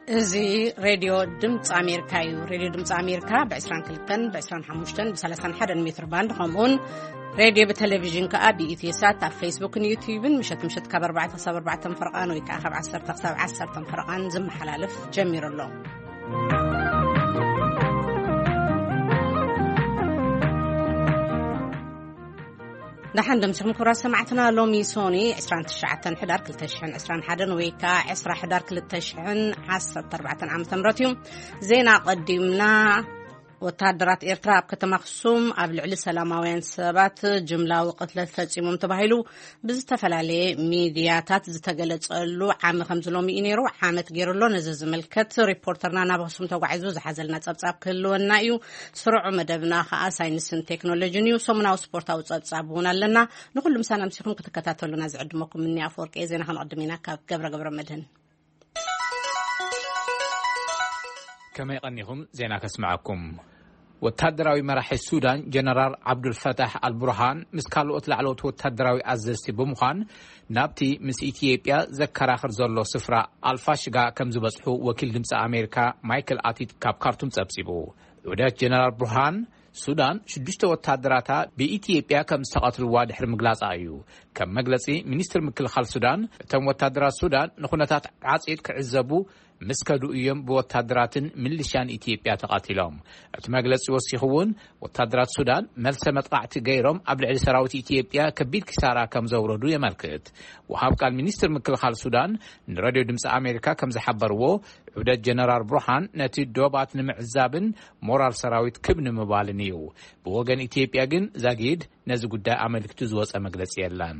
እዚ ሬድዮ ድምፂ ኣሜሪካ እዩ። ሬድዮ ድምፂ ኣሜሪካ ብ22፣ ብ25፣ ብ31 ሜትር ባንድ፣ ከምኡውን ሬድዮ ብቴሌቪዥን ከኣ ብኢትዮ ሳት ኣብ ፌስቡክን ዩትዩብን ምሸት ምሸት ካብ ኣርባዕተ ክሳብ ኣርባዕተ ፈረቓን ወይ ከኣ ካብ ዓሰርተ ክሳብ ዓሰርተ ፈረቓን ዝመሓላለፍ ጀሚሩ ኣሎ። ደሓን ደምሲኹም ክቡራት ሰማዕትና። ሎሚ ሶኒ ዕስራን ትሽዓተን ሕዳር ክልተ ሽሕን ዕስራን ሓደን ወይ ከኣ ዕስራ ሕዳር ክልተ ሽሕን ዓሰርተ ኣርባዕተን ዓመተ ምህረት እዩ። ዜና ቀዲምና። ወተሃደራት ኤርትራ ኣብ ከተማ ኣኽሱም ኣብ ልዕሊ ሰላማውያን ሰባት ጅምላዊ ቅትለት ፈጺሞም ተባሂሉ ብዝተፈላለየ ሚድያታት ዝተገለጸሉ ዓሚ ከምዚ ሎሚ እዩ ነይሩ። ዓመት ገይሩ ኣሎ። ነዚ ዝምልከት ሪፖርተርና ናብ ኣኽሱም ተጓዒዙ ዝሓዘልና ጸብጻብ ክህልወና እዩ። ስሩዕ መደብና ከኣ ሳይንስን ቴክኖሎጂን እዩ። ሰሙናዊ ስፖርታዊ ጸብጻብ እውን ኣለና። ንኹሉ ምሳና ኣምሲኹም ክትከታተሉና ዝዕድመኩም ምኒ ኣፈወርቂ እየ። ዜና ከነቕድም ኢና ካብ ገብረ ገብረ መድህን። ከመይ ቀኒኹም? ዜና ከስምዓኩም። ወታደራዊ መራሒ ሱዳን ጀነራል ዓብዱልፈታሕ ኣልቡርሃን ምስ ካልኦት ላዕለዎት ወታደራዊ ኣዘዝቲ ብምዃን ናብቲ ምስ ኢትዮጵያ ዘከራኽር ዘሎ ስፍራ ኣልፋሽጋ ከም ዝበጽሑ ወኪል ድምፂ ኣሜሪካ ማይክል ኣቲት ካብ ካርቱም ጸብጺቡ። ውህደት ጀነራል ቡርሃን ሱዳን ሽዱሽተ ወታደራታ ብኢትዮጵያ ከም ዝተቐትልዋ ድሕሪ ምግላጻ እዩ። ከም መግለጺ ሚኒስትር ምክልኻል ሱዳን፣ እቶም ወታደራት ሱዳን ንኹነታት ዓጽዮት ክዕዘቡ ምስ ከዱ እዮም ብወታደራትን ሚሊሻን ኢትዮጵያ ተቐቲሎም። እቲ መግለጺ ወሲኹ እውን፣ ወታደራት ሱዳን መልሰ መጥቃዕቲ ገይሮም ኣብ ልዕሊ ሰራዊት ኢትዮጵያ ከቢድ ኪሳራ ከም ዘውረዱ የመልክት። ወሃብ ቃል ሚኒስትር ምክልኻል ሱዳን ንሬድዮ ድምፂ ኣሜሪካ ከም ዝሓበርዎ፣ ዑደት ጀነራል ብሩሃን ነቲ ዶባት ንምዕዛብን ሞራል ሰራዊት ክብ ንምባልን እዩ። ብወገን ኢትዮጵያ ግን ዛጊድ ነዚ ጉዳይ ኣመልኪቱ ዝወጸ መግለጺ የለን።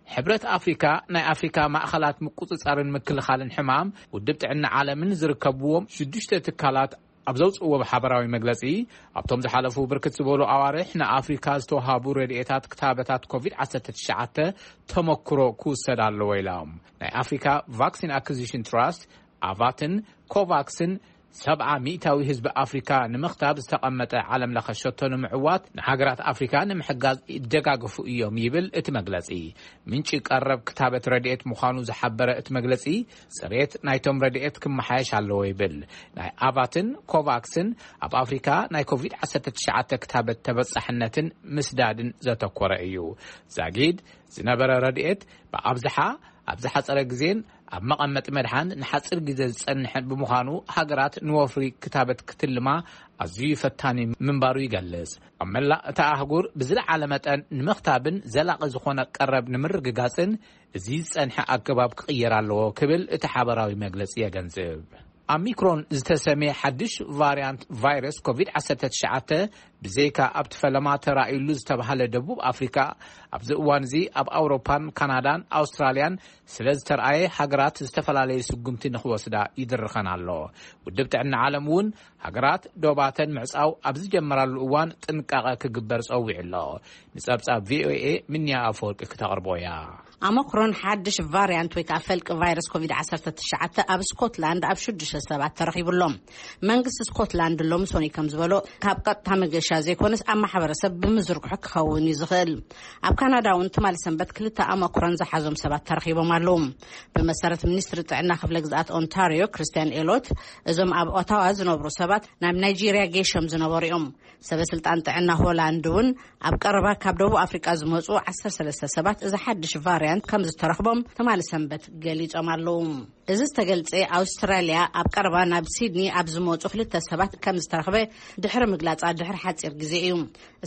ሕብረት ኣፍሪካ ናይ ኣፍሪካ ማእኸላት ምቁጽጻርን ምክልኻልን ሕማም ውድብ ጥዕና ዓለምን ዝርከብዎም ሽዱሽተ ትካላት ኣብ ዘውፅእዎ ሓበራዊ መግለፂ፣ ኣብቶም ዝሓለፉ ብርክት ዝበሉ ኣዋርሕ ንኣፍሪካ ዝተወሃቡ ረድኤታት ክታበታት ኮቪድ ዓሰርተ ትሽዓተ ተመክሮ ክውሰድ ኣለዎ ኢሎም። ናይ ኣፍሪካ ቫክሲን ኣኩዚሽን ትራስት፣ ኣቫትን ኮቫክስን ሰብዓ ሚእታዊ ህዝቢ ኣፍሪካ ንምኽታብ ዝተቐመጠ ዓለም ለኸ ሸቶ ንምዕዋት ንሃገራት ኣፍሪካ ንምሕጋዝ ይደጋገፉ እዮም ይብል እቲ መግለፂ። ምንጪ ቀረብ ክታበት ረድኤት ምዃኑ ዝሓበረ እቲ መግለፂ፣ ፅሬት ናይቶም ረድኤት ክመሓየሽ ኣለዎ ይብል። ናይ ኣቫትን ኮቫክስን ኣብ ኣፍሪካ ናይ ኮቪድ ዓሰርተ ትሽዓተ ክታበት ተበፃሕነትን ምስዳድን ዘተኮረ እዩ። ዛጊድ ዝነበረ ረድኤት ብኣብዝሓ ኣብ ዝሓፀረ ግዜን ኣብ መቐመጢ መድሓን ንሓፂር ግዜ ዝፀንሕን ብምዃኑ፣ ሃገራት ንወፍሪ ክታበት ክትልማ ኣዝዩ ፈታኒ ምንባሩ ይገልጽ። ኣብ መላእ እታ ኣህጉር ብዝለዓለ መጠን ንምኽታብን ዘላቒ ዝኾነ ቀረብ ንምርግጋጽን፣ እዚ ዝጸንሐ ኣገባብ ክቕየር ኣለዎ ክብል እቲ ሓበራዊ መግለጺ የገንዝብ። ኦሚክሮን ዝተሰምየ ሓድሽ ቫርያንት ቫይረስ ኮቪድ ዓሰርተ ትሽዓተ፣ ብዘይካ ኣብቲ ፈለማ ተራእዩሉ ዝተባህለ ደቡብ ኣፍሪካ፣ ኣብዚ እዋን እዚ ኣብ ኣውሮፓን ካናዳን ኣውስትራልያን ስለ ዝተርኣየ፣ ሃገራት ዝተፈላለዩ ስጉምቲ ንኽወስዳ ይድርኸን ኣሎ። ውድብ ጥዕና ዓለም እውን ሃገራት ዶባተን ምዕጻው ኣብ ዝጀመራሉ እዋን ጥንቃቐ ክግበር ጸዊዑ ኣሎ። ንጸብጻብ ቪኦኤ ምንያ ኣፈወርቂ ክተቕርቦ እያ። ኦሚክሮን ሓድሽ ቫርያንት ወይ ከዓ ፈልቂ ቫይረስ ኮቪድ ዓሰርተ ትሽዓተ ኣብ ስኮትላንድ ኣብ ሽዱሽተ ሰባት ተረኺቡ ኣሎ። መንግስቲ ስኮትላንድ ሎሚ ሶኒ ከም ዝበሎ፣ ካብ ቀጥታ መገሻ ዘይኮነስ ኣብ ማሕበረሰብ ብምዝርግሑ ክኸውን እዩ ዝኽእል። ኣብ ካናዳ እውን ትማሊ ሰንበት ክልተ ኦሚክሮን ዝሓዞም ሰባት ተረኺቦም ኣለዉ። ብመሰረት ሚኒስትሪ ጥዕና ክፍለ ግዝኣት ኦንታሪዮ ክርስቲያን ኤሎት፣ እዞም ኣብ ኦታዋ ዝነብሩ ሰባት ናብ ናይጄርያ ጌሾም ዝነበሩ እዮም። ሰበ ስልጣን ጥዕና ሆላንድ እውን ኣብ ቀረባ ካብ ደቡብ ኣፍሪቃ ዝመፁ ዓሰርተ ሰለስተ ሰባት እዚ ሓድሽ ቫርያንት ከም ዝተረኽቦም ትማሊ ሰንበት ገሊጾም ኣለዉ። እዚ ዝተገልጸ፣ ኣውስትራልያ ኣብ ቀረባ ናብ ሲድኒ ኣብ ዝመጹ ክልተ ሰባት ከም ዝተረኽበ ድሕሪ ምግላጻ ድሕሪ ሓጺር ግዜ እዩ።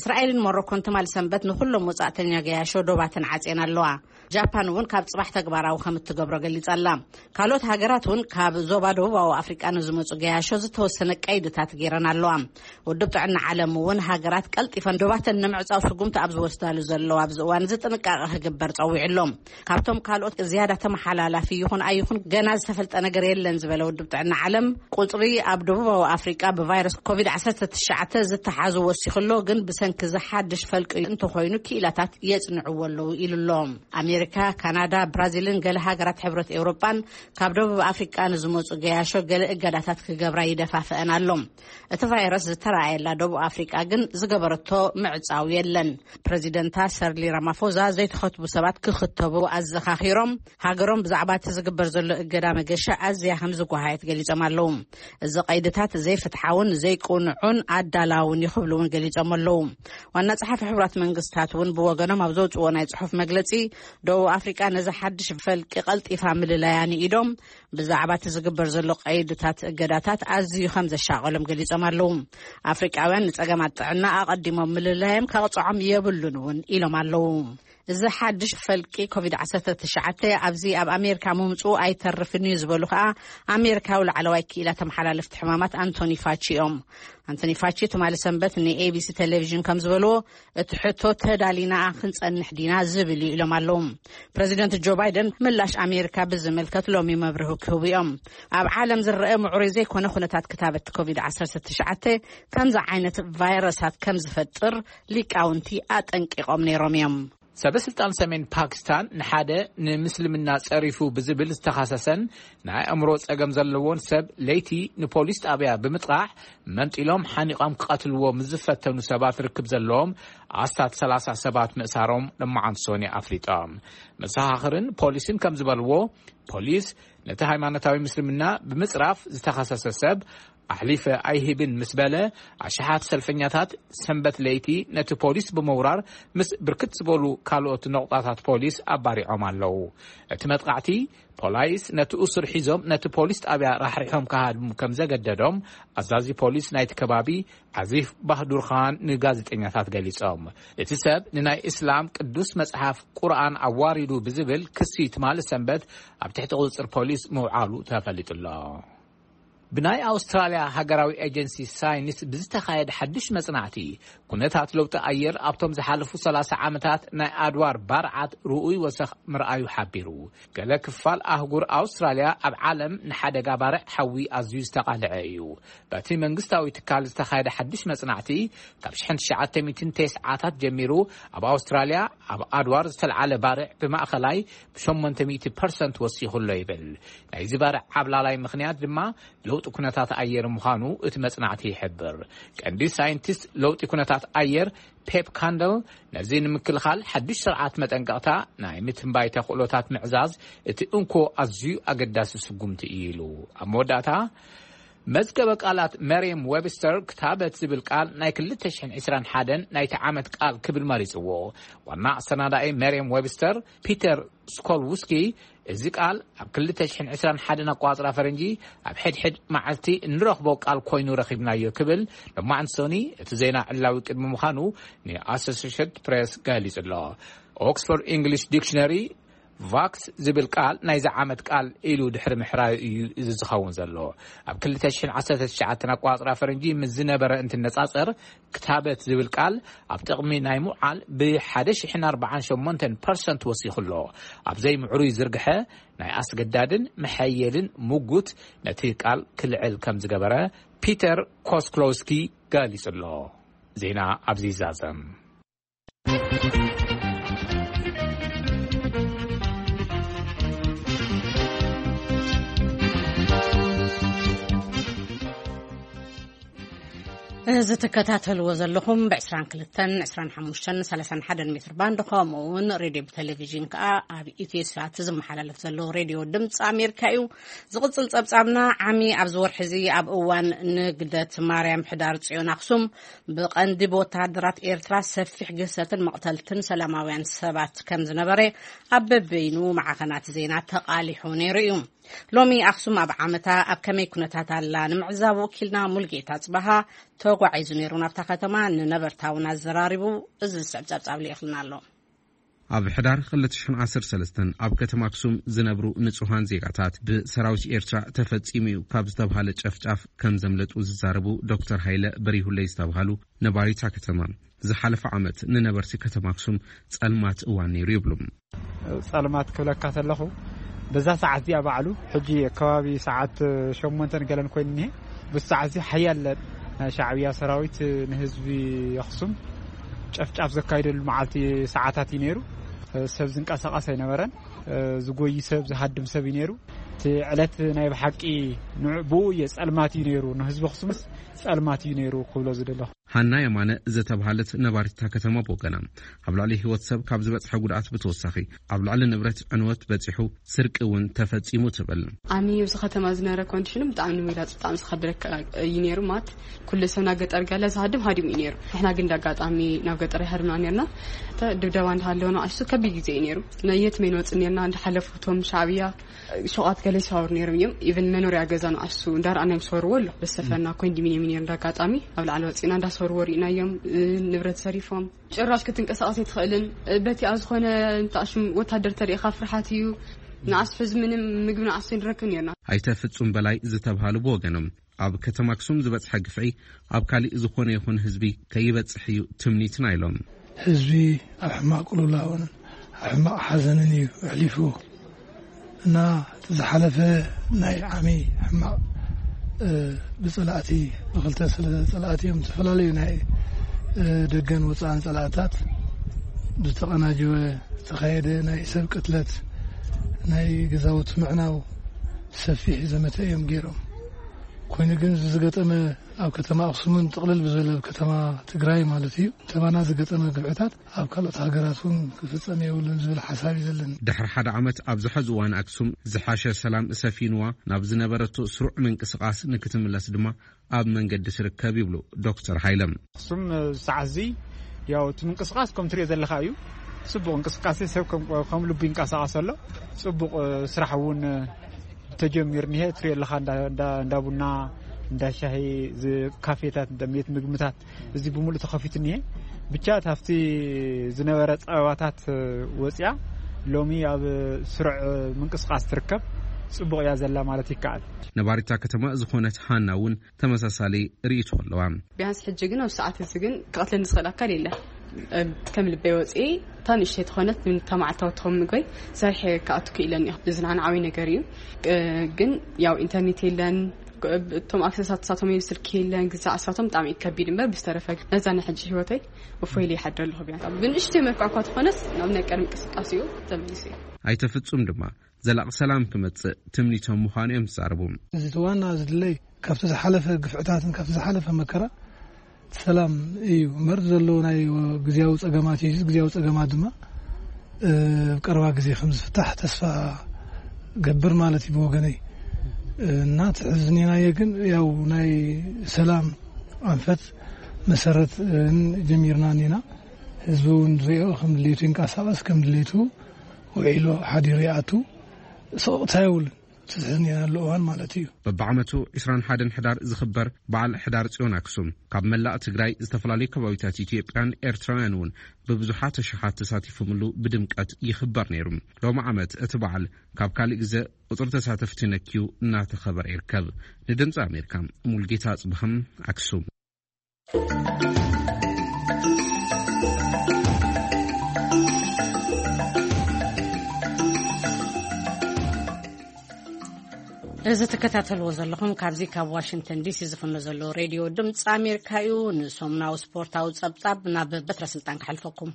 እስራኤልን ሞሮኮን ትማሊ ሰንበት ንኹሎም ወጻእተኛ ገያሾ ዶባተን ዓጽየን ኣለዋ። ጃፓን እውን ካብ ጽባሕ ተግባራዊ ከም እትገብሮ ገሊጻ ኣላ። ካልኦት ሃገራት እውን ካብ ዞባ ደቡባዊ ኣፍሪቃ ንዝመጹ ገያሾ ዝተወሰነ ቀይድታት ገይረን ኣለዋ። ውድብ ጥዕና ዓለም እውን ሃገራት ቀልጢፈን ዶባተን ንምዕጻው ስጉምቲ ኣብ ዝወስዳሉ ዘለዋ ኣብዚ እዋን እዚ ጥንቃቐ ክግበር ጸዊዑ ኣሎ። ካብቶም ካልኦት ዝያዳ ተመሓላላፊ ይኹን ኣይኹን ገና ዝተፈልጠ ነገር የለን ዝበለ ውድብ ጥዕና ዓለም፣ ቁጽሪ ኣብ ደቡባዊ ኣፍሪቃ ብቫይረስ ኮቪድ ዓሰርተ ትሽዓተ ዝተሓዙ ወሲኹ ኣሎ፣ ግን ብሰንኪ እዚ ሓድሽ ፈልቂ እንተኾይኑ ክኢላታት የጽንዕዎ ኣለዉ ኢሉ ኣሎ። ኣሜሪካ፣ ካናዳ፣ ብራዚልን ገለ ሃገራት ሕብረት ኤውሮጳን ካብ ደቡብ ኣፍሪቃ ንዝመጹ ገያሾ ገለ እገዳታት ክገብራ ይደፋፍአን ኣሎ። እቲ ቫይረስ ዝተረኣየላ ደቡብ ኣፍሪቃ ግን ዝገበረቶ ምዕጻው የለን። ፕረዚደንታ ሰርሊ ራማፎዛ ዘይተኸትቡ ሰባት ክኽተቡ ኣዘኻኺሮም፣ ሃገሮም ብዛዕባ እቲ ዝግበር ዘሎ ገዳ መገሻ ኣዝያ ከም ዝጓሃየት ገሊጾም ኣለዉ። እዚ ቀይድታት ዘይፍትሓውን ዘይቅኑዑን ኣዳላውን እዩ ክብሉ እውን ገሊጾም ኣለዉ። ዋና ጸሓፊ ሕቡራት መንግስታት እውን ብወገኖም ኣብ ዘውጽዎ ናይ ጽሑፍ መግለጺ፣ ደቡብ ኣፍሪቃ ነዚ ሓድሽ ፈልቂ ቀልጢፋ ምልላያ ንኢዶም፣ ብዛዕባ እቲ ዝግበር ዘሎ ቀይድታት እገዳታት ኣዝዩ ከም ዘሻቐሎም ገሊጾም ኣለዉ። ኣፍሪቃውያን ንጸገማት ጥዕና ኣቐዲሞም ምልላዮም ከቕጽዖም የብሉን እውን ኢሎም ኣለዉ። እዚ ሓድሽ ፈልቂ ኮቪድ ዓሰርተ ትሽዓተ ኣብዚ ኣብ ኣሜሪካ ምምጽኡ ኣይተርፍን እዩ ዝበሉ ከኣ ኣሜሪካዊ ላዕለዋይ ክኢላ ተመሓላለፍቲ ሕማማት ኣንቶኒ ፋቺ እዮም። ኣንቶኒ ፋቺ ትማሊ ሰንበት ንኤቢሲ ቴሌቪዥን ከም ዝበልዎ፣ እቲ ሕቶ ተዳሊና ክንጸንሕ ዲና ዝብል እዩ ኢሎም ኣለዉ። ፕረዚደንት ጆ ባይደን ምላሽ ኣሜሪካ ብዝምልከት ሎሚ መብርሂ ክህቡ እዮም። ኣብ ዓለም ዝረአ ምዕሩይ ዘይኮነ ኩነታት ክታበት ኮቪድ ዓሰርተ ትሽዓተ ከምዚ ዓይነት ቫይረሳት ከም ዝፈጥር ሊቃውንቲ ኣጠንቂቖም ነይሮም እዮም። ሰበ ስልጣን ሰሜን ፓኪስታን ንሓደ ንምስልምና ጸሪፉ ብዝብል ዝተኸሰሰን ናይ ኣእምሮ ጸገም ዘለዎን ሰብ ለይቲ ንፖሊስ ጣብያ ብምጥቓሕ መንጢሎም ሓኒቖም ክቐትልዎ ምስ ዝፈተኑ ሰባት ርክብ ዘለዎም ኣስታት ሰላሳ ሰባት ምእሳሮም ሎማዓንቲ ሶኒ ኣፍሊጦም። መሰኻኽርን ፖሊስን ከም ዝበልዎ፣ ፖሊስ ነቲ ሃይማኖታዊ ምስልምና ብምጽራፍ ዝተኸሰሰ ሰብ ኣሕሊፈ ኣይህብን ምስ በለ፣ ኣሽሓት ሰልፈኛታት ሰንበት ለይቲ ነቲ ፖሊስ ብምውራር ምስ ብርክት ዝበሉ ካልኦት ነቑጣታት ፖሊስ ኣባሪዖም ኣለዉ። እቲ መጥቃዕቲ፣ ፖላይስ ነቲ እሱር ሒዞም ነቲ ፖሊስ ጣብያ ራሕሪሖም ክሃድሙ ከም ዘገደዶም ኣዛዚ ፖሊስ ናይቲ ከባቢ ዓዚፍ ባህዱርኻን ንጋዜጠኛታት ገሊጾም። እቲ ሰብ ንናይ እስላም ቅዱስ መጽሓፍ ቁርኣን ኣዋሪዱ ብዝብል ክሲ ትማሊ ሰንበት ኣብ ትሕቲ ቁጽጽር ፖሊስ ምውዓሉ ተፈሊጡ ኣሎ። ብናይ ኣውስትራልያ ሃገራዊ ኤጀንሲ ሳይንስ ብዝተኻየደ ሓድሽ መጽናዕቲ፣ ኩነታት ለውጢ ኣየር ኣብቶም ዝሓለፉ ሰላሳ ዓመታት ናይ ኣድዋር ባርዓት ርኡይ ወሰኽ ምርኣዩ ሓቢሩ። ገለ ክፋል ኣህጉር ኣውስትራልያ ኣብ ዓለም ንሓደጋ ባርዕ ሓዊ ኣዝዩ ዝተቓልዐ እዩ። በቲ መንግስታዊ ትካል ዝተኻየደ ሓድሽ መጽናዕቲ፣ ካብ ሽሕን ትሽዓተ ሚእትን ተስዓታት ጀሚሩ ኣብ ኣውስትራልያ ኣብ ኣድዋር ዝተልዓለ ባርዕ ብማእኸላይ ብሸሞንተ ሚእቲ ፐርሰንት ወሲኹ ኣሎ ይብል። ናይዚ ባርዕ ዓብላላይ ምኽንያት ድማ ለውጢ ኩነታት ኣየር ምዃኑ እቲ መጽናዕቲ ይሕብር። ቀንዲ ሳይንቲስት ለውጢ ኩነታት ኣየር ፔፕ ካንደል፣ ነዚ ንምክልኻል ሓድሽ ስርዓት መጠንቀቕታ ናይ ምትንባይ ተኽእሎታት ምዕዛዝ እቲ እንኮ ኣዝዩ ኣገዳሲ ስጉምቲ እዩ ኢሉ። ኣብ መወዳእታ፣ መዝገበ ቃላት መርየም ዌብስተር ክታበት ዝብል ቃል ናይ ክልተ ሽሕን ዕስራን ሓደን ናይቲ ዓመት ቃል ክብል መሪጽዎ። ዋና ኣሰናዳኢ መርየም ዌብስተር ፒተር ስኮልውስኪ፣ እዚ ቃል ኣብ ክልተ ሽሕን ዕስራን ሓደን ኣቋጽራ ፈረንጂ ኣብ ሕድሕድ መዓልቲ እንረኽቦ ቃል ኮይኑ ረኺብናዮ ክብል ሎማዓንቲ ሶኒ እቲ ዜና ዕላዊ ቅድሚ ምዃኑ ንኣሶሲየትድ ፕሬስ ገሊጹ ኣሎ። ኦክስፎርድ ኢንግሊሽ ዲክሽነሪ ቫክስ ዝብል ቃል ናይዚ ዓመት ቃል ኢሉ ድሕሪ ምሕራዩ እዩ እዚ ዝኸውን ዘሎ። ኣብ ክልተ ሽሕን ዓሰርተ ትሽዓተን ኣቋጽራ ፈረንጂ ምስ ዝነበረ እንትነጻጸር፣ ክታበት ዝብል ቃል ኣብ ጥቕሚ ናይ ምውዓል ብሓደ ሽሕን ኣርባዓን ሸሞንተን ፐርሰንት ወሲኹ ኣሎ። ኣብ ዘይምዕሩይ ዝርግሐ ናይ ኣስገዳድን መሐየልን ምጉት ነቲ ቃል ክልዕል ከም ዝገበረ ፒተር ኮስክሎውስኪ ገሊጹ ኣሎ። ዜና ኣብዚ ይዛዘም። እዚ ትከታተልዎ ዘለኹም ብ22፣ 25፣ 31 ሜትር ባንድ፣ ከምኡ እውን ሬድዮ ብቴሌቪዥን ከኣ ኣብ ኢትዮ ሳት ዝመሓላለፍ ዘሎ ሬድዮ ድምፂ ኣሜሪካ እዩ። ዝቕጽል ጸብጻብና፣ ዓሚ ኣብዚ ወርሒ እዚ ኣብ እዋን ንግደት ማርያም ሕዳር ጽዮን ኣኽሱም ብቐንዲ ብወተሃደራት ኤርትራ ሰፊሕ ግህሰትን መቕተልትን ሰላማውያን ሰባት ከም ዝነበረ ኣብ በበይኑ ማዕኸናት ዜና ተቓሊሑ ነይሩ እዩ። ሎሚ ኣኽሱም ኣብ ዓመታ ኣብ ከመይ ኩነታት ኣላ ንምዕዛብ ወኪልና ሙልጌታ ጽባሃ ተጓዒዙ ነይሩ ናብታ ከተማ። ንነበርታ እውን ኣዘራሪቡ እዚ ዝስዕብ ጸብጻብ ልኢኽልና ኣሎ። ኣብ ሕዳር ክልተ ሽሕን ዓሰርተ ሰለስተን ኣብ ከተማ ኣክሱም ዝነብሩ ንጹሃን ዜጋታት ብሰራዊት ኤርትራ ተፈጺሙ እዩ ካብ ዝተባሃለ ጨፍጫፍ ከም ዘምለጡ ዝዛረቡ ዶክተር ሃይለ በሪሁለይ ዝተባሃሉ ነባሪታ ከተማ፣ ዝሓለፈ ዓመት ንነበርቲ ከተማ ኣክሱም ጸልማት እዋን ነይሩ ይብሉ። ጸልማት ክብለካ ተለኹ፣ በዛ ሰዓት እዚኣ ባዕሉ፣ ሕጂ ከባቢ ሰዓት ሸሞንተን ገለን ኮይኑ እኒሄ። ብዚ ሰዓት እዚ ሓያለ ናይ ሻዕብያ ሰራዊት ንህዝቢ ኣኽሱም ጨፍጫፍ ዘካይደሉ መዓልቲ ሰዓታት እዩ ነይሩ። ሰብ ዝንቀሳቐስ ኣይነበረን። ዝጎይ ሰብ፣ ዝሃድም ሰብ እዩ ነይሩ። እቲ ዕለት ናይ ብሓቂ ንዕ-፣ ብኡ እየ ጸልማት እዩ ነይሩ፣ ንህዝቢ ኣኽሱምስ ጸልማት እዩ ነይሩ ክብሎ ዝደለኹ። ሃና የማነ ዝተባሃለት ነባሪት እታ ከተማ ብወገና፣ ኣብ ልዕሊ ህይወት ሰብ ካብ ዝበጽሐ ጉድኣት ብተወሳኺ፣ ኣብ ልዕሊ ንብረት ዕንወት በጺሑ፣ ስርቂ እውን ተፈጺሙ ትብል። ኣሚ ኣብዚ ከተማ ዝነበረ ኮንዲሽኑ ብጣዕሚ ንምግላፅ ብጣዕሚ ዝኸብደካ እዩ ነይሩ። ማት ኩሉ ሰብ ናብ ገጠር ገለ ዝሃድም ሃዲሙ እዩ ነይሩ። ንሕና ግን እንዳጋጣሚ ናብ ገጠር ይሃድምና ነርና። እተ ድብደባ እንዳሃለወ ንኣሽቱ ከቢድ ግዜ እዩ ነይሩ። ነየት መን ወፅእ ነርና እንዳሓለፉ እቶም ሻዕብያ ሸቋት ገለ ይሰዋሩ ነይሮም እዮም። ኢቨን መኖርያ ገዛ ንኣሽቱ እንዳረኣና እዮም ዝሰወርዎ ኣሎ። በሰፈና ኮንዶሚኒየም እዩ ነይሩ። እንዳጋጣሚ ኣብ ላዕሊ ወፂእና እንዳሰወርዎ ርኢናዮም። ንብረት ዘሪፎም፣ ጭራሽ ክትንቀሳቐስ ኣይትኽእልን። በቲ ኣብ ዝኾነ እንተኣሽም ወታደር ተሪእኻ ፍርሓት እዩ። ንኣስ ሕዚ ምንም ምግቢ ንኣስ ንረክብ ነርና። ኣይተ ፍጹም በላይ ዝተባሃሉ ብወገኖም፣ ኣብ ከተማ ኣክሱም ዝበጽሐ ግፍዒ ኣብ ካሊእ ዝኾነ ይኹን ህዝቢ ከይበጽሕ እዩ ትምኒትና ኢሎም። ህዝቢ ኣብ ሕማቕ ቅልውላውን ኣብ ሕማቕ ሓዘንን እዩ ኣሕሊፉ። እና እቲ ዝሓለፈ ናይ ዓሚ ሕማቕ፣ እ፣ ብጸላእቲ፣ ብክልተ ስለ ጸላእቲ እዮም ዝተፈላለዩ ናይ፣ እ፣ ደገን ወጻእን ጸላእታት ብዝተቐናጀወ ዝተኻየደ ናይ ሰብ ቅትለት፣ ናይ ገዛውቲ ምዕናው ሰፊሕ ዘመተ እዮም ገይሮም። ኮይኑ ግን እዚ ዝገጠመ ኣብ ከተማ ኣክሱምን ጥቕልል ብዝበለ ኣብ ከተማ ትግራይ ማለት እዩ፣ ተባና ዝገጠመ ግፍዕታት ኣብ ካልኦት ሃገራት እውን ክፍጸም የብሉን ዝብል ሓሳብ እዩ ዘለኒ። ድሕሪ ሓደ ዓመት ኣብዚ ሕዚ እዋን ኣክሱም ዝሓሸ ሰላም ሰፊንዋ፣ ናብ ዝነበረቶ ስሩዕ ምንቅስቓስ ንክትምለስ ድማ ኣብ መንገዲ ትርከብ ይብሉ ዶክተር ሃይለ። ኣክሱም፣ እ፣ ሰዓት እዚ ያው እቲ ምንቅስቓስ ከም ትሪኦ ዘለኻ እዩ። ጽቡቕ እንቅስቃሴ፣ ሰብ ከም፣ ከም ልቡ ይንቀሳቐስ ኣሎ። ጽቡቕ፣ እ፣ ስራሕ እውን፣ እ፣ ተጀሚሩ እኒሀ። ትሪኦ ኣለኻ እንዳ፣ እንዳ፣ እንዳ ቡና፣ እንዳ ሻሂ፣ ዝ-፣ ካፌታት፣ እንዳ ቤት ምግብታት፣ እዚ ብምሉእ ተኸፊቱ እኒሀ። ብቻ ካብቲ ዝነበረ ጸበባታት ወፂኣ ሎሚ ኣብ ስሩዕ ምንቅስቃስ ትርከብ። ጽቡቕ እያ ዘላ ማለት ይከኣል። ነባሪታ ከተማ ዝኾነት ሃና እውን ተመሳሳሊ ርእይቶ ኣለዋ። ቢያንስ ሕጂ ግን ኣብ ሰዓት እዚ ግን ክቐትለኒ ዝኽእል ኣካል የለን። እ፣ ከም ልበይ ወፂኤ እታ ንእሽተይ ተኾነት፣ እታ መዓልታዊ ትኸውን ምግበይ ሰሪሐ ክኣቱ ክኢለኒ እዩ። እዚ ንዓና ዓብዪ ነገር እዩ። እ፣ ግን ያው ኢንተርኔት የለን። እቶም ኣክሰሳት ሳቶም እዩ፣ ስልኪ የለን። ግዛዕ ሳቶም ብጣዕሚ እዩ ከቢድ እምበር፣ ብዝተረፈ ግን ነዛ ናይ ሕጂ ህይወተይ እፎይ ኢለ ይሓድር ኣለኹ። ቢያንስ ብንእሽተይ መልክዕ እኳ ትኾነስ ናብ ናይ ቀደም እንቅስቃሴኡ ተመሊሱ እዩ። ኣይተ ፍጹም ድማ ዘላቒ ሰላም ክመጽእ ትምኒቶም ምዃኑ እዮም ዝዛረቡ። እዚ እቲ ዋና ዝድለይ ካብቲ ዝሓለፈ ግፍዕታትን ካብቲ ዝሓለፈ መከራ ሰላም እዩ እምበር፣ ዘሎ ናይ ግዝያዊ ጸገማት እዩ። ግዝያዊ ጸገማት ድማ፣ እ፣ ኣብ ቀረባ ግዜ ከም ዝፍታሕ ተስፋ ገብር ማለት እዩ ብወገነይ። እ፣ እና ትሕዝኒናዮ ግን ያው ናይ ሰላም ኣንፈት መሰረት፣ እ፣ ጀሚርና እኒና። ህዝቢ እውን ዝሪኦ ከም ድሌቱ ይንቀሳቐስ፣ ከም ድሌቱ ውዒሉ ሓዲሩ ይኣቱ። ስቕቕታ የብሉን። ትዝሕዝን ያለው እዋን ማለት እዩ። በብዓመቱ ዕስራን ሓደን ሕዳር ዝኽበር በዓል ሕዳር ጽዮን ኣክሱም ካብ መላእ ትግራይ፣ ዝተፈላለዩ ከባቢታት ኢትዮጵያን ኤርትራውያን እውን ብብዙሓት ኣሽሓት ተሳቲፎምሉ ብድምቀት ይኽበር ነይሩ። ሎሚ ዓመት እቲ በዓል ካብ ካልእ ግዘ ቁጽሪ ተሳተፍቲ ነክዩ እናተኸበረ ይርከብ። ንድምፂ ኣሜሪካ ሙልጌታ ኣጽብሃም ኣክሱም። እዚ ትከታተልዎ ዘለኹም ካብዚ ካብ ዋሽንግተን ዲሲ ዝፍኖ ዘሎ ሬድዮ ድምፂ ኣሜሪካ እዩ። ንሶምናዊ ስፖርታዊ ጸብጻብ ናብ በትረ ስልጣን ክሓልፈኩም።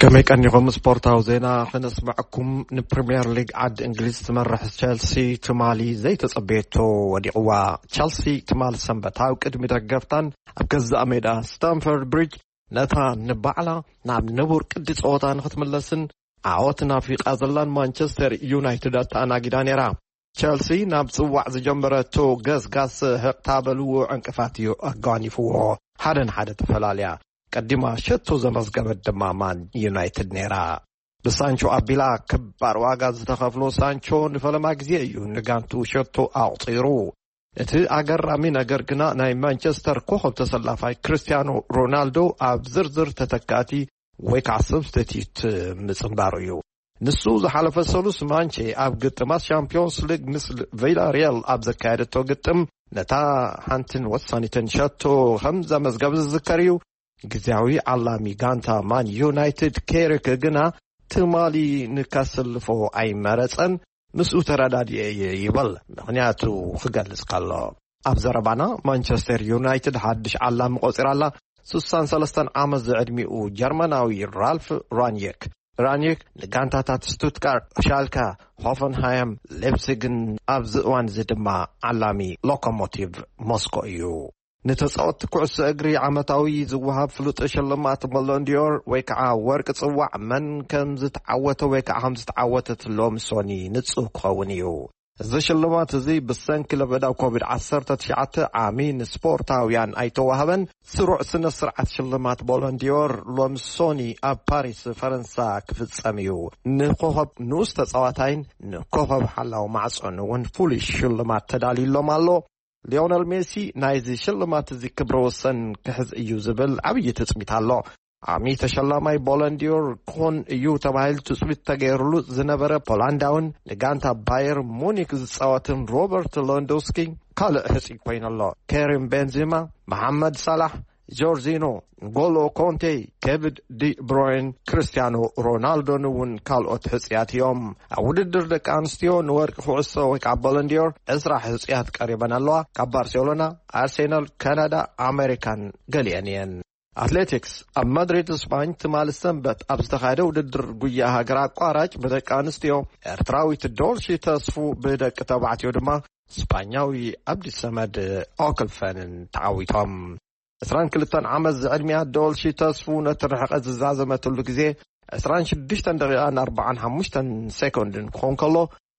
ከመይ ቀኒኹም? ስፖርታዊ ዜና ክነስምዐኩም። ንፕሪምየር ሊግ ዓዲ እንግሊዝ ትመርሕ ቸልሲ ትማሊ ዘይተጸበየቶ ወዲቕዋ። ቸልሲ ትማሊ ሰንበት ኣብ ቅድሚ ደገፍታን ኣብ ገዛእ ሜዳ ስታምፈርድ ብሪጅ ነታ ንባዕላ ናብ ንቡር ቅዲ ጸወታ ንኽትምለስን ዓወት ናፊቓ ዘላን ማንቸስተር ዩናይትድ ኣተኣናጊዳ ነይራ። ቸልሲ ናብ ጽዋዕ ዝጀመረቶ ገስጋስ ህቕታ በልዎ ዕንቅፋት እዩ ኣጓኒፍዎ። ሓደ ንሓደ ተፈላልያ ቀዲማ ሸቶ ዘመዝገበት ድማ ማን ዩናይትድ ነይራ። ብሳንቾ ኣቢላ ክባር ዋጋ ዝተኸፍሎ ሳንቾ ንፈለማ ግዜ እዩ ንጋንቱ ሸቶ ኣቑጺሩ። እቲ ኣገራሚ ነገር ግና ናይ ማንቸስተር ኮኸብ ተሰላፋይ ክርስቲያኖ ሮናልዶ ኣብ ዝርዝር ተተካእቲ ወይ ከዓ ሰብስቲትዩት ምጽንባሩ እዩ። ንሱ ዝሓለፈ ሰሉስ ማንቼ ኣብ ግጥማት ሻምፒዮንስ ሊግ ምስ ቪላሪያል ኣብ ዘካየደቶ ግጥም ነታ ሓንትን ወሳኒትን ሸቶ ከም ዘመዝገበ ዝዝከር እዩ። ግዜያዊ ዓላሚ ጋንታ ማን ዩናይትድ ኬሪክ ግና ትማሊ ንከስልፎ ኣይመረጸን፣ ምስኡ ተረዳዲኤ እየ ይብል ምኽንያቱ ክገልጽ ከሎ። ኣብ ዘረባና ማንቸስተር ዩናይትድ ሓድሽ ዓላሚ ቆጺራ ኣላ። ስሳን ሰለስተን ዓመት ዝዕድሚኡ ጀርመናዊ ራልፍ ራንየክ ራኒክ ንጋንታታት ስቱትጋርት፣ ሻልከ፣ ሆፈንሃይም፣ ሌፕሲግን ኣብዚ እዋን እዚ ድማ ዓላሚ ሎኮሞቲቭ ሞስኮ እዩ። ንተጻወትቲ ኩዕሶ እግሪ ዓመታዊ ዝወሃብ ፍሉጥ ሽልማት ቦሎንዲዮር ወይ ከዓ ወርቂ ጽዋዕ መን ከም ዝተዓወተ ወይ ከዓ ከም ዝተዓወተት ሎሚ ሶኒ ንጹር ክኸውን እዩ። እዚ ሽልማት እዚ ብሰንኪ ለበዳ ኮቪድ ዓሰርተ ትሽዓተ ዓሚ ንስፖርታውያን ኣይተዋህበን። ስሩዕ ስነ ስርዓት ሽልማት ቦሎንዲዮር ሎሚ ሶኒ ኣብ ፓሪስ ፈረንሳ ክፍጸም እዩ። ንኮኸብ ንኡስ ተጻዋታይን ንኮኸብ ሓላው ማዕጾን እውን ፍሉይ ሽልማት ተዳልዩሎም ኣሎ። ሊዮነል ሜሲ ናይዚ ሽልማት እዚ ክብረ ወሰን ክሕዝ እዩ ዝብል ዓብዪ ትጽቢት ኣሎ። ዓሚ ተሸላማይ ቦሎንዲዮር ክኾን እዩ ተባሂሉ ትጽቢት ተገይሩሉ ዝነበረ ፖላንዳውን ንጋንታ ባየር ሙኒክ ዝጻወትን ሮበርት ሎንዶስኪ ካልእ ሕጺ ኮይኑ ኣሎ። ከሪም ቤንዚማ፣ መሓመድ ሳላሕ፣ ጆርጂኖ፣ ንጎሎ ኮንቴ፣ ኬቪን ዲ ብሮይን፣ ክርስቲያኖ ሮናልዶን እውን ካልኦት ሕጽያት እዮም። ኣብ ውድድር ደቂ ኣንስትዮ ንወርቂ ኩዕሶ ወይ ከዓ ቦሎንዲዮር ዕስራ ሕጽያት ቀሪበን ኣለዋ። ካብ ባርሴሎና፣ ኣርሴናል፣ ካናዳ፣ ኣሜሪካን ገሊአን እየን። ኣትሌቲክስ፣ ኣብ ማድሪድ ስፓኝ ትማሊ ሰንበት ኣብ ዝተኻየደ ውድድር ጉያ ሃገር ኣቋራጭ ብደቂ ኣንስትዮ፣ ኤርትራዊት ዶልሺ ተስፉ ብደቂ ተባዕትዮ ድማ ስፓኛዊ ኣብዲ ሰመድ ኦክልፈንን ተዓዊቶም። ዕስራን ክልተን ዓመት ዝዕድሚያ ዶልሺ ተስፉ ነቲ ርሕቀት ዝዛዘመትሉ ግዜ ዕስራን ሽዱሽተን ደቂቓን ኣርባዓን ሓሙሽተን ሴኮንድን ክኾን ከሎ፣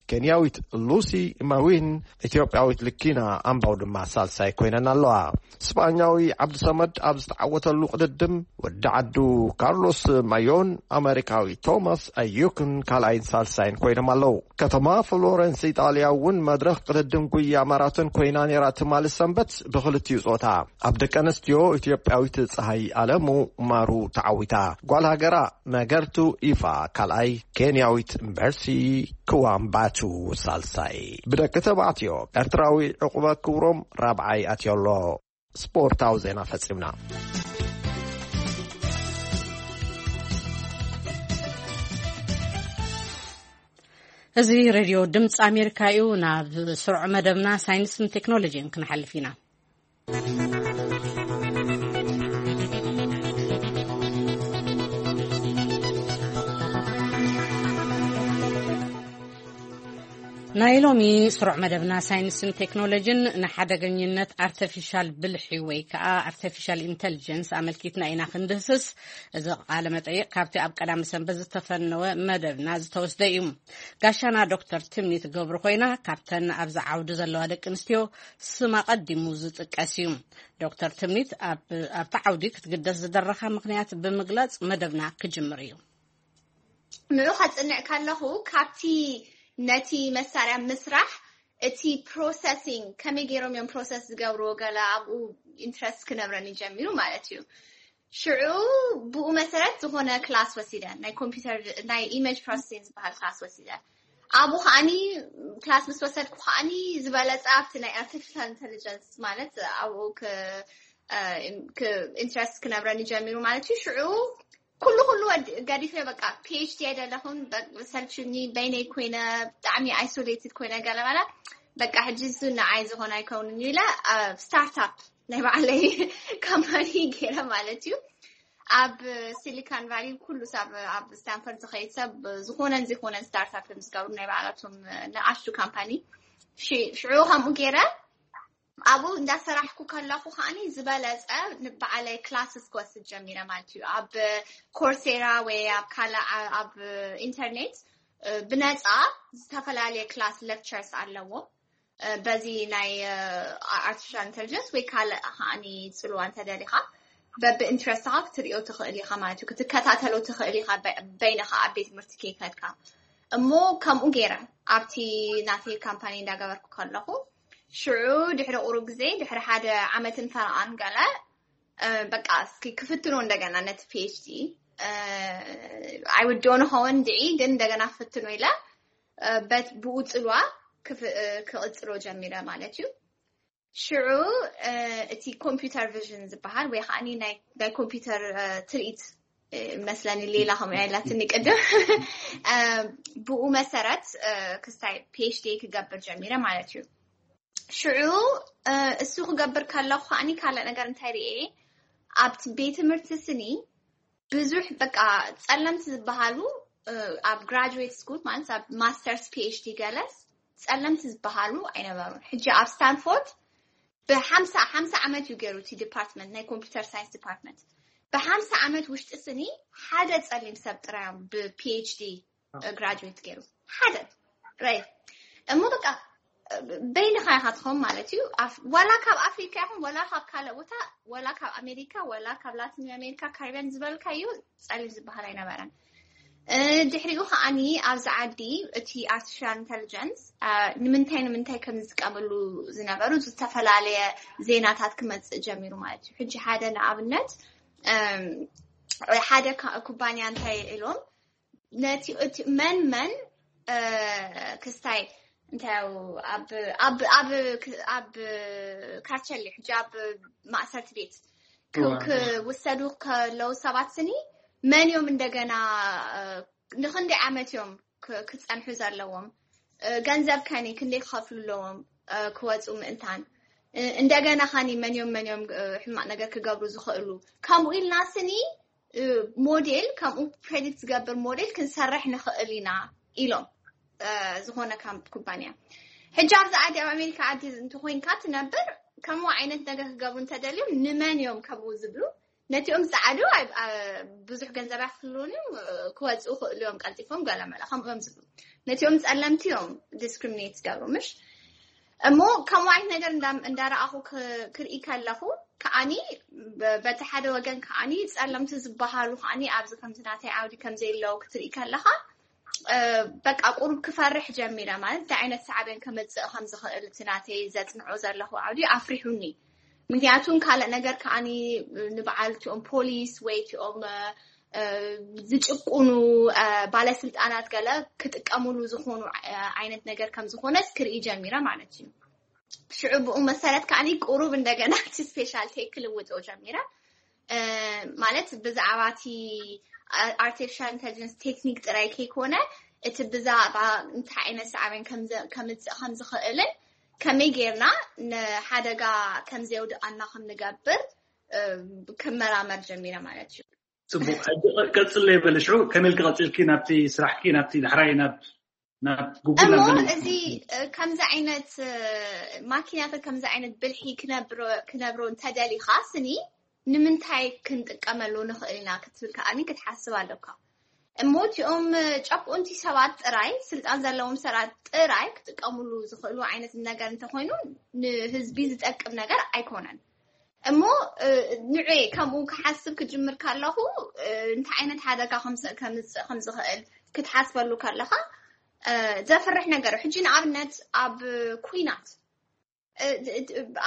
ኬንያዊት ሉሲ ማዊን፣ ኢትዮጵያዊት ልኪና ኣምባው ድማ ሳልሳይ ኮይነን ኣለዋ። ስጳኛዊ ዓብዲ ሰመድ ኣብ ዝተዓወተሉ ቅድድም፣ ወዲ ዓዱ ካርሎስ ማዮን ኣመሪካዊ ቶማስ ኣዩክን ካልኣይን ሳልሳይን ኮይኖም ኣለዉ። ከተማ ፍሎረንስ ኢጣልያ እውን መድረኽ ቅድድም ጉያ ማራቶን ኮይና ነይራ ትማሊ ሰንበት ብኽልቲኡ ጾታ። ኣብ ደቂ ኣንስትዮ ኢትዮጵያዊት ፀሃይ ኣለሙ ማሩ ተዓዊታ። ጓል ሃገራ መገርቱ ኢፋ ካልኣይ፣ ኬንያዊት መርሲ ክዋምባቱ ሳልሳይ። ብደቂ ተባዕትዮ ኤርትራዊ ዕቑበ ክብሮም ራብዓይ ኣትዮ ኣሎ። ስፖርታዊ ዜና ፈጺምና። እዚ ሬድዮ ድምፂ ኣሜሪካ እዩ። ናብ ስሩዕ መደብና ሳይንስን ቴክኖሎጂን ክንሓልፍ ኢና። ናይ ሎሚ ስሩዕ መደብና ሳይንስን ቴክኖሎጂን ንሓደገኝነት ኣርተፊሻል ብልሒ ወይ ከዓ ኣርተፊሻል ኢንተሊጀንስ ኣመልኪትና ኢና ክንድህስስ። እዚ ቃለ መጠይቅ ካብቲ ኣብ ቀዳሚ ሰንበት ዝተፈነወ መደብና ዝተወስደ እዩ። ጋሻና ዶክተር ትምኒት ገብሩ ኮይና፣ ካብተን ኣብዚ ዓውዲ ዘለዋ ደቂ ኣንስትዮ ስማ ቀዲሙ ዝጥቀስ እዩ። ዶክተር ትምኒት ኣብ-፣ ኣብቲ ዓውዲ ክትግደስ ዝደረኻ ምኽንያት ብምግላጽ መደብና ክጅምር እዩ። ንዑ ከጽንዕ ከለኹ፣ ካብቲ ነቲ መሳርያ ምስራሕ፣ እቲ ፕሮሰሲንግ፣ ከመይ ገይሮም እዮም ፕሮሰስ ዝገብርዎ፣ ገለ ኣብኡ ኢንትረስት ክነብረኒ ጀሚሩ ማለት እዩ። ሽዑ ብኡ መሰረት ዝኾነ ክላስ ወሲደ፣ ናይ ኮምፒውተር፣ ናይ ኢሜጅ ፕሮሰሲንግ ዝበሃል ክላስ ወሲደ። ኣብኡ ከዓኒ፣ ክላስ ምስ ወሰድኩ ከዓኒ፣ ዝበለጸ ኣብቲ ናይ ኣርቲፊሻል ኢንተሊጀንስ ማለት ኣብኡ ክ-፣ እ፣ ክ-፣ ኢንትረስት ክነብረኒ ጀሚሩ ማለት እዩ። ሽዑ ኩሉ ኩሉ ወድ-፣ ገዲፈ፣ በቃ ፒ ኤች ዲ ኣይደለኹን፣ በ-፣ ሰልችኒ፣ በይነይ ኮይነ፣ ብጣዕሚ ኣይሶሌትድ ኮይነ፣ ገለ በለ፣ በቃ ሕጂ እሱ ንዓይ ዝኾነ ኣይከውንን ኢለ፣ እ፣ ስታርታፕ ናይ ባዕለይ ካምፓኒ ገይረ ማለት እዩ። ኣብ ሲሊካን ቫሊ ኩሉ ሰብ፣ ኣብ ስታንፈርድ ዝኸይድ ሰብ ዝኾነን ዘይኮነን ስታርታፕ እዮም ዝገብሩ፣ ናይ ባዕላቶም ንኣሽቱ ካምፓኒ። ሽ-፣ ሽዑ ከምኡ ገይረ ኣብኡ እንዳሰራሕኩ ከለኹ ከዓኒ ዝበለጸ ንባዕለይ ክላስስ ክወስድ ጀሚረ ማለት እዩ። ኣብ ኮርሴራ ወይ ኣብ ካልእ ዓ-፣ ኣብ ኢንተርኔት፣ እ፣ ብነጻ ዝተፈላለየ ክላስ ሌክቸርስ ኣለዎም። እ፣ በዚ ናይ፣ እ፣ ኣርቲፊሻል ኢንተሊጀንስ ወይ ካልእ ከዓኒ ጽልዋ እንተደሊኻ፣ በብኢንትረስትኻ ክትሪኦ ትኽእል ኢኻ ማለት እዩ። ክትከታተሎ ትኽእል ኢኻ በ-፣ በይንኻ ኣብ ቤት ትምህርቲ ከይከድካ። እሞ ከምኡ ገይረ ኣብቲ ናተይ ካምፓኒ እንዳገበርኩ ከለኹ፣ ሽዑ ድሕሪ ቁሩብ ግዜ፣ ድሕሪ ሓደ ዓመትን ፈረቓን ገለ፣ እ፣ በቃ እስኪ ክፍትኖ እንደገና ነቲ ፒ ኤች ዲ፣ እ፣ ኣይውድኦ ንኸውን ድዒ፣ ግን እንደገና ክፍትኖ ኢለ፣ እ፣ በት-፣ ብኡ ጽልዋ ክፍ-፣ እ፣ ክቕጽሎ ጀሚረ ማለት እዩ። ሽዑ፣ እ፣ እቲ ኮምፒውተር ቪዥን ዝበሃል ወይ ከዓኒ ናይ፣ ናይ ኮምፒውተር፣ እ፣ ትርኢት፣ እ፣ መስለኒ ሌላ ከምኡ ኢላትኒ ቅድም። እ፣ ብኡ መሰረት፣ እ፣ ክስታይ ፒ ኤች ዲ ክገብር ጀሚረ ማለት እዩ። ሽዑ፣ እ፣ እሱ ክገብር ከለኹ ከዓኒ ካልእ ነገር እንታይ ርኤ፣ ኣብቲ ቤት ትምህርቲ ስኒ ብዙሕ በቃ ጸለምቲ ዝበሃሉ ኣብ ግራጁዌት ስኩል ማለት ኣብ ማስተርስ ፒኤችዲ ገለስ ጸለምቲ ዝበሃሉ ኣይነበሩን። ሕጂ ኣብ ስታንፎርድ ብሓምሳ ሓምሳ ዓመት እዩ ገይሩ እቲ ዲፓርትመንት ናይ ኮምፒውተር ሳይንስ ዲፓርትመንት። ብሓምሳ ዓመት ውሽጢ ስኒ ሓደ ጸሊም ሰብ ጥራዮም ብፒኤችዲ ግራጁዌት ገይሩ ሓደ ራይ እሞ በቃ በይንኻ ኢኻ ትኸውን ማለት እዩ። ዋላ ካብ ኣፍሪካ ይኹን ዋላ ካብ ካልእ ቦታ ዋላ ካብ ኣሜሪካ ዋላ ካብ ላቲን ኣሜሪካ ካሪቢያን ዝበልካዩ ጸሊም ዝበሃል ኣይነበረን። ድሕሪኡ ከዓኒ ኣብዚ ዓዲ እቲ ኣርቲፊሻል ኢንቴሊጀንስ ንምንታይ ንምንታይ ከም ዝጥቀምሉ ዝነበሩ ዝተፈላለየ ዜናታት ክመፅእ ጀሚሩ ማለት እዩ። ሕጂ ሓደ ንኣብነት ሓደ ኩባንያ እንታይ ኢሎም ነቲ እቲ መን መን ክስታይ እንታይ ኣብ ኣብ ኣብ ኣብ ካቸሊ ሕጂ ኣብ ማእሰርቲ ቤት ክውሰዱ ከለዉ ሰባት ስኒ መን እዮም እንደገና ንክንደይ ዓመት እዮም ክፀንሑ ዘለዎም፣ ገንዘብ ከኒ ክንደይ ክኸፍሉ ኣለዎም ክወፁ ምእንታን፣ እንደገና ኸኒ መን እዮም መን እዮም ሕማቅ ነገር ክገብሩ ዝኽእሉ፣ ከምኡ ኢልና ስኒ ሞዴል ከምኡ ፕሬዲክት ዝገብር ሞዴል ክንሰርሕ ንኽእል ኢና ኢሎም። ዝኾነ ኩባንያ ሕጂ ኣብዚ ዓዲ ኣብ ኣሜሪካ ዓዲ እንተኮይንካ ትነብር ከምኡ ዓይነት ነገር ክገብሩ እንተደልዮም ንመን እዮም ከምኡ ዝብሉ? ነቲኦም ፃዓዱ ብዙሕ ገንዘብ ኣይክፍልውን እዮም፣ ክወፅኡ ክእሉ እዮም ቀልጢፎም ገለመለ ከምኡ እዮም ዝብሉ። ነቲኦም ፀለምቲ እዮም ዲስክሪሚኔት ዝገብሩ ምሽ እሞ ከምኡ ዓይነት ነገር እንዳረኣኹ ክርኢ ከለኹ ከዓኒ በቲ ሓደ ወገን ከዓኒ ፀለምቲ ዝበሃሉ ከዓኒ ኣብዚ ከምዚ ናተይ ዓውዲ ከምዘየለዉ ክትርኢ ከለኻ በቃ ቁሩብ ክፈርሕ ጀሚረ ማለት እንታይ ዓይነት ሳዕቤን ከምፅእ ከም ዝኽእል እቲ ናተይ ዘፅንዖ ዘለኹ ዓውዲ ኣፍሪሑኒ። ምክንያቱም ካልእ ነገር ከዓኒ ንበዓል እቲኦም ፖሊስ ወይ እቲኦም ዝጭቁኑ ባለስልጣናት ገለ ክጥቀሙሉ ዝኾኑ ዓይነት ነገር ከም ዝኾነስ ክርኢ ጀሚረ ማለት እዩ። ሽዑ ብኡ መሰረት ከዓኒ ቁሩብ እንደገና እቲ ስፔሻልቲ ክልውጦ ጀሚረ። ማለት ብዛዕባ እቲ ኣርቲፊሻል ኢንቴሊጀንስ ቴክኒክ ጥራይ ከይኮነ እቲ ብዛዕባ እንታይ ዓይነት ሳዕቤን ከምፅእ ከም ዝኽእልን ከመይ ጌርና ንሓደጋ ከም ዘየውድኣና ከም ንገብር ክመራመር ጀሚረ ማለት እዩ። ፅቡቅ። ቀፅለ ይበለ ሽዑ ከመይ ኢልኪ ቀፂልኪ ናብቲ ስራሕኪ ናብቲ ዳሕራይ ናብ ናብ ጉግል እሞ እዚ ከምዚ ዓይነት ማኪናታት ከምዚ ዓይነት ብልሒ ክነብሮ እንተደሊኻ ስኒ ንምንታይ ክንጥቀመሉ ንኽእል ኢና ክትብል ከዓኒ ክትሓስብ ኣለካ። እሞ እቲኦም ጨቁንቲ ሰባት ጥራይ ስልጣን ዘለዎም ሰባት ጥራይ ክጥቀምሉ ዝኽእሉ ዓይነት ነገር እንተኮይኑ ንህዝቢ ዝጠቅም ነገር ኣይኮነን። እሞ ንዑ ከምኡ ክሓስብ ክጅምር ከለኹ እንታይ ዓይነት ሓደጋ ከምፅእ ከም ዝኽእል ክትሓስበሉ ከለኻ ዘፍርሕ ነገር። ሕጂ ንኣብነት ኣብ ኩናት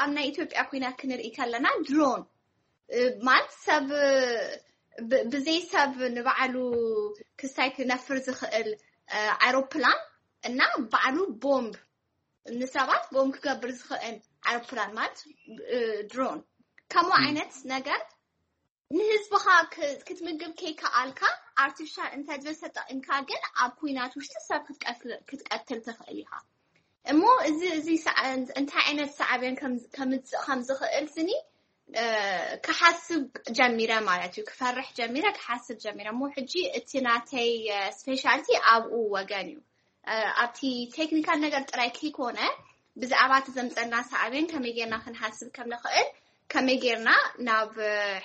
ኣብ ናይ ኢትዮጵያ ኩናት ክንርኢ ከለና ድሮን ማለት ሰብ ብዘይ ሰብ ንባዕሉ ክስታይ ክነፍር ዝኽእል ኣይሮፕላን እና ባዕሉ ቦምብ ንሰባት ቦምብ ክገብር ዝኽእል ኣይሮፕላን ማለት ድሮን ከምኡ ዓይነት ነገር ንህዝብኻ ክትምግብ ከይከኣልካ ኣርቲፊሻል ኢንተሊጀንስ ተጠቂምካ ግን ኣብ ኩናት ውሽጢ ሰብ ክትቀትል ትኽእል ኢኻ። እሞ እዚ እዚ እንታይ ዓይነት ሳዕቤን ከምፅእ ከም ዝኽእል ስኒ ክሓስብ ጀሚረ ማለት እዩ። ክፈርሕ ጀሚረ፣ ክሓስብ ጀሚረ። እሞ ሕጂ እቲ ናተይ ስፔሻልቲ ኣብኡ ወገን እዩ። ኣብቲ ቴክኒካል ነገር ጥራይ ከይኮነ ብዛዕባ እቲ ዘምፀና ሳዕቤን ከመይ ጌርና ክንሓስብ ከም ንኽእል ከመይ ጌርና ናብ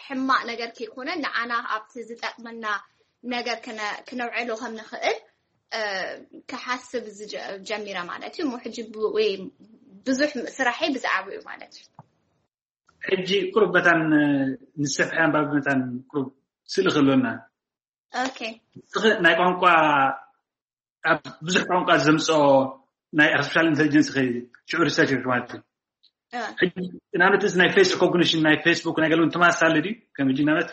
ሕማቅ ነገር ከይኮነ ንዓና ኣብቲ ዝጠቅመና ነገር ክነውዕሎ ከም ንኽእል ክሓስብ ጀሚረ ማለት እዩ። እሞ ሕጂ ብዙሕ ስራሐይ ብዛዕባኡ ማለት እዩ። ሕጂ ቁሩብ መታን ንሰፍሐ ኣንባቢ መታን ቁሩብ ስእሊ ክህልወና። ኦኬ። ናይ ቋንቋ ኣብ ብዙሕ ቋንቋ ዘምፅኦ ናይ ኣርቲፊሻል ኢንቴሊጀንስ ሽዑ ሪሰርች ማለት እዩ። ንኣብነት እዚ ናይ ፌስ ሪኮግኒሽን ናይ ፌስቡክ ናይ ገለውን ተመሳሳሊ ድዩ? ከም ሕጂ ንኣብነት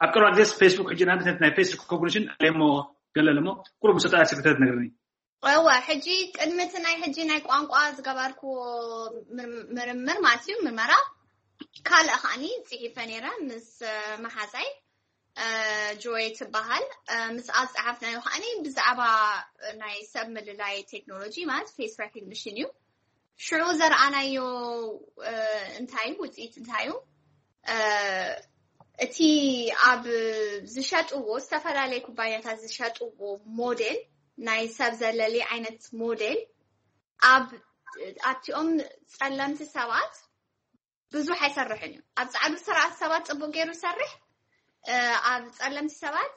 ኣብ ቀረባ ግዜ ፌስቡክ ሕጂ ንኣብነት ናይ ፌስ ሪኮግኒሽን ኣለሞ ገለ ኣለሞ ቁሩብ ምስ ወጣ ስክተት ነግርኒ። እወ ሕጂ ቅድሚ እቲ ናይ ሕጂ ናይ ቋንቋ ዝገበርኩዎ ምርምር ማለት እዩ ምርመራ ካልእ ከዓኒ ፅሒፈ ነይረ ምስ መሓዛይ ጆይ ትበሃል። ምስ ኣብ ፀሓፍናዮ ከዓኒ ብዛዕባ ናይ ሰብ ምልላይ ቴክኖሎጂ ማለት ፌስ ሬኮግኒሽን እዩ። ሽዑ ዘርኣናዮ እንታይ ውፅኢት እንታይ እዩ? እቲ ኣብ ዝሸጥዎ፣ ዝተፈላለየ ኩባንያታት ዝሸጥዎ ሞዴል፣ ናይ ሰብ ዘለሊ ዓይነት ሞዴል፣ ኣብ ኣብቲኦም ጸለምቲ ሰባት ብዙሕ ኣይሰርሕን እዩ። ኣብ ጻዕዱ ስርዓት ሰባት ጽቡቅ ገይሩ ይሰርሕ። ኣብ ጸለምቲ ሰባት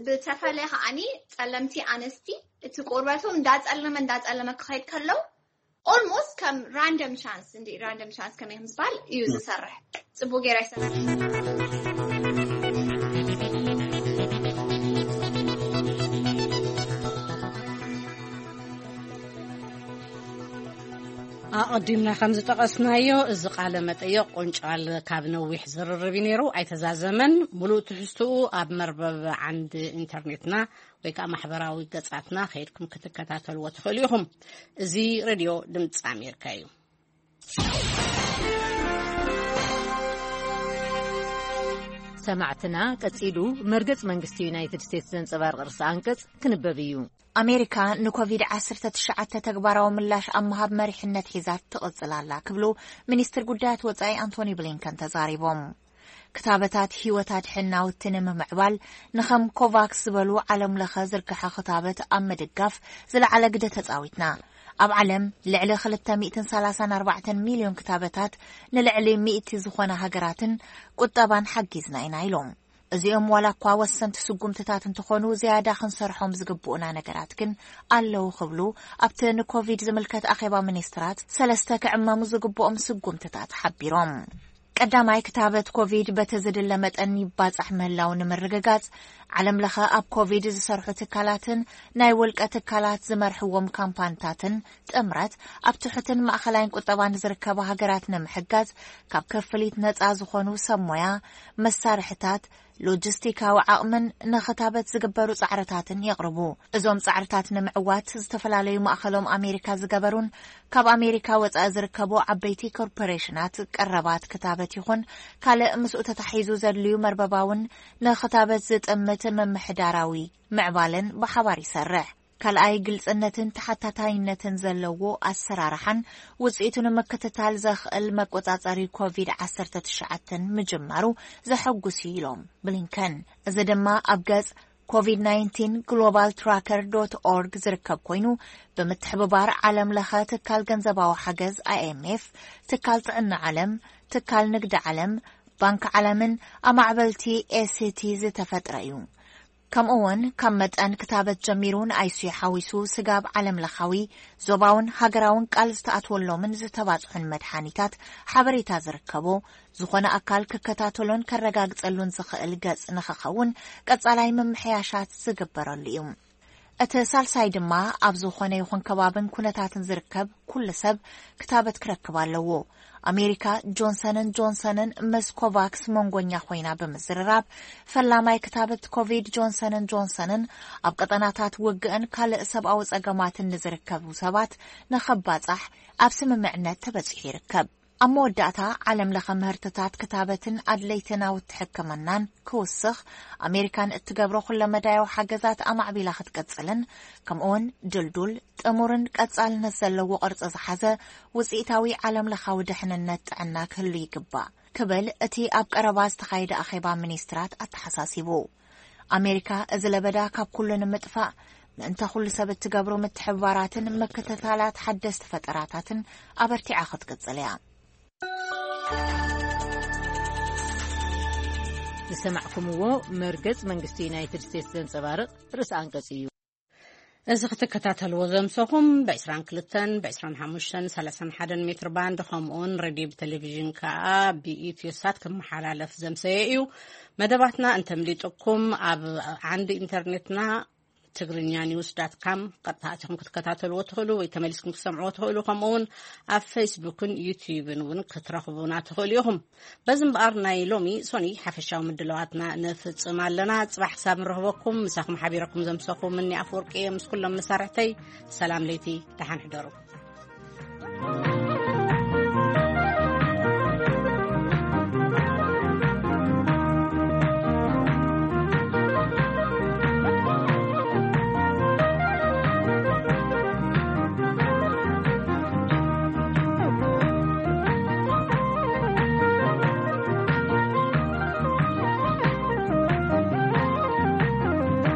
ብተፈለ ከዓኒ፣ ጸለምቲ ኣነስቲ እቲ ቆርበቶም እንዳጸለመ እንዳጸለመ ክኸይድ ከለው፣ ኦልሞስት ከም ራንደም ቻንስ፣ እንዲ ራንደም ቻንስ ከመይ ከም ዝበሃል እዩ ዝሰርሕ። ጽቡቅ ገይሩ ኣይሰርሕ። ኣቐዲምና ከም ዝጠቐስናዮ፣ እዚ ቃለ መጠይቕ ቁንጫል ካብ ነዊሕ ዝርርብ እዩ ነይሩ፣ ኣይተዛዘመን። ሙሉእ ትሕዝትኡ ኣብ መርበብ ዓንዲ ኢንተርኔትና ወይ ከዓ ማሕበራዊ ገጻትና ከይድኩም ክትከታተልዎ ትኽእሉ ኢኹም። እዚ ሬድዮ ድምፂ ኣሜሪካ እዩ። ሰማዕትና፣ ቀጺሉ መርገጽ መንግስቲ ዩናይትድ ስቴትስ ዘንጸባርቕ ርእሰ ኣንቀጽ ክንበብ እዩ። ኣሜሪካ ንኮቪድ ዓሰርተ ትሽዓተ ተግባራዊ ምላሽ ኣብ ምሃብ መሪሕነት ሒዛ ትቕጽል ኣላ ክብሉ ሚኒስትር ጉዳያት ወጻኢ ኣንቶኒ ብሊንከን ተዛሪቦም። ክታበታት ህይወት ኣድሕን ናውቲ ንምምዕባል ንኸም ኮቫክስ ዝበሉ ዓለም ለኸ ዝርግሐ ክታበት ኣብ ምድጋፍ ዝለዓለ ግደ ተጻዊትና። ኣብ ዓለም ልዕሊ ክልተ ሚእትን ሰላሳን ኣርባዕተን ሚልዮን ክታበታት ንልዕሊ ሚእቲ ዝኾና ሃገራትን ቁጠባን ሓጊዝና ኢና ኢሎም። እዚኦም ዋላ እኳ ወሰንቲ ስጉምትታት እንተኾኑ፣ ዝያዳ ክንሰርሖም ዝግብኡና ነገራት ግን ኣለዉ ክብሉ ኣብቲ ንኮቪድ ዝምልከት ኣኼባ ሚኒስትራት ሰለስተ ክዕመሙ ዝግብኦም ስጉምትታት ሓቢሮም። ቀዳማይ፣ ክታበት ኮቪድ በቲ ዝድለ መጠን ይባጻሕ ምህላው ንምርግጋጽ፣ ዓለም ለኸ ኣብ ኮቪድ ዝሰርሑ ትካላትን ናይ ውልቀ ትካላት ዝመርሕዎም ካምፓንታትን ጥምረት ኣብ ትሑትን ማእኸላይን ቁጠባን ዝርከባ ሃገራት ንምሕጋዝ፣ ካብ ክፍሊት ነጻ ዝኾኑ ሰብ ሞያ፣ መሳርሕታት፣ ሎጂስቲካዊ ዓቕምን ንኽታበት ዝግበሩ ጻዕርታትን የቕርቡ። እዞም ጻዕርታት ንምዕዋት፣ ዝተፈላለዩ ማእኸሎም ኣሜሪካ ዝገበሩን ካብ ኣሜሪካ ወጻኢ ዝርከቡ ዓበይቲ ኮርፖሬሽናት፣ ቀረባት ክታበት ይኹን ካልእ ምስኡ ተታሒዙ ዘድልዩ መርበባውን ንኽታበት ዝጥምት ምምሕዳራዊ ምዕባለን ብሓባር ይሰርሕ። ካልኣይ፣ ግልጽነትን ተሓታታይነትን ዘለዎ ኣሰራርሓን ውጽኢቱ ንምክትታል ዘኽእል መቆጻጸሪ ኮቪድ ዓሰርተ ትሽዓተ ምጅማሩ ዘሐጉስ እዩ ኢሎም ብሊንከን። እዚ ድማ ኣብ ገጽ ኮቪድ ናይንቲን ግሎባል ትራከር ዶት ኦርግ ዝርከብ ኮይኑ፣ ብምትሕብባር ዓለም ለኸ ትካል ገንዘባዊ ሓገዝ ኣይኤምኤፍ፣ ትካል ጥዕና ዓለም፣ ትካል ንግዲ ዓለም፣ ባንክ ዓለምን ኣማዕበልቲ ኤስቲ ዝተፈጥረ እዩ። ከምኡ እውን ካብ መጠን ክታበት ጀሚሩ ንኣይሲዩ ሓዊሱ ስጋብ ዓለም ለኻዊ፣ ዞባውን ሃገራውን ቃል ዝተኣትወሎምን ዝተባጽሑን መድሓኒታት ሓበሬታ ዝርከቦ ዝኾነ ኣካል ክከታተሎን ከረጋግጸሉን ዝኽእል ገጽ ንኽኸውን ቀጻላይ ምምሕያሻት ዝግበረሉ እዩ። እቲ ሳልሳይ ድማ ኣብ ዝኾነ ይኹን ከባብን ኩነታትን ዝርከብ ኩሉ ሰብ ክታበት ክረክብ ኣለዎ። ኣሜሪካ ጆንሰንን ጆንሰንን ምስ ኮቫክስ መንጎኛ ኮይና ብምዝርራብ፣ ፈላማይ ክታበት ኮቪድ ጆንሰንን ጆንሰንን ኣብ ቀጠናታት ውግእን ካልእ ሰብኣዊ ጸገማትን ንዝርከቡ ሰባት ንኸባጻሕ ኣብ ስምምዕነት ተበጺሑ ይርከብ። ኣብ መወዳእታ፣ ዓለም ለኸ ምህርትታት ክታበትን ኣድለይቲ ናውቲ ሕክምናን ክውስኽ፣ ኣሜሪካን እትገብሮ ኩለመዳያዊ ሓገዛት ኣማዕቢላ ክትቅጽልን፣ ከምኡውን ድልዱል፣ ጥሙርን ቀጻልነት ዘለዎ ቅርጺ ዝሓዘ ውጽኢታዊ ዓለም ለኻዊ ድሕንነት ጥዕና ክህሉ ይግባእ ክብል እቲ ኣብ ቀረባ ዝተኻየደ ኣኼባ ሚኒስትራት ኣተሓሳሲቡ። ኣሜሪካ እዚ ለበዳ ካብ ኩሉ ንምጥፋእ ምእንተ ኩሉ ሰብ እትገብሮ ምትሕብባራትን ምክትታላት ሓደስቲ ፈጠራታትን ኣበርቲዓ ክትቅጽል እያ። ዝሰማዕኩምዎ መርገጽ መንግስቲ ዩናይትድ ስቴትስ ዘንጸባርቕ ርእሲ ኣንቀጽ እዩ። እዚ ክትከታተልዎ ዘምሰኹም ብ22፣ ብ25፣ ብ31 ሜትር ባንድ፣ ከምኡውን ሬድዮ ብቴሌቪዥን ከኣ ብኢትዮሳት ክመሓላለፍ ዘምሰየ እዩ። መደባትና እንተምሊጥኩም ኣብ ዓንዲ ኢንተርኔትና ትግርኛ ኒውስ ዳት ካም ቀጥታ ኣቲኹም ክትከታተልዎ ትኽእሉ ወይ ተመሊስኩም ክትሰምዕዎ ትኽእሉ። ከምኡ እውን ኣብ ፌስቡክን ዩትዩብን እውን ክትረኽቡና ትኽእሉ ኢኹም። በዚ እምበኣር ናይ ሎሚ ሶኒ ሓፈሻዊ ምድላዋትና ንፍጽም ኣለና። ጽባሕ ክሳብ ንረኽበኩም ምሳኹም ሓቢረኩም ዘምሰኹ ምኒ ኣፍወርቂ እየ ምስ ኩሎም መሳርሕተይ። ሰላም ለይቲ፣ ደሓን ሕደሩ።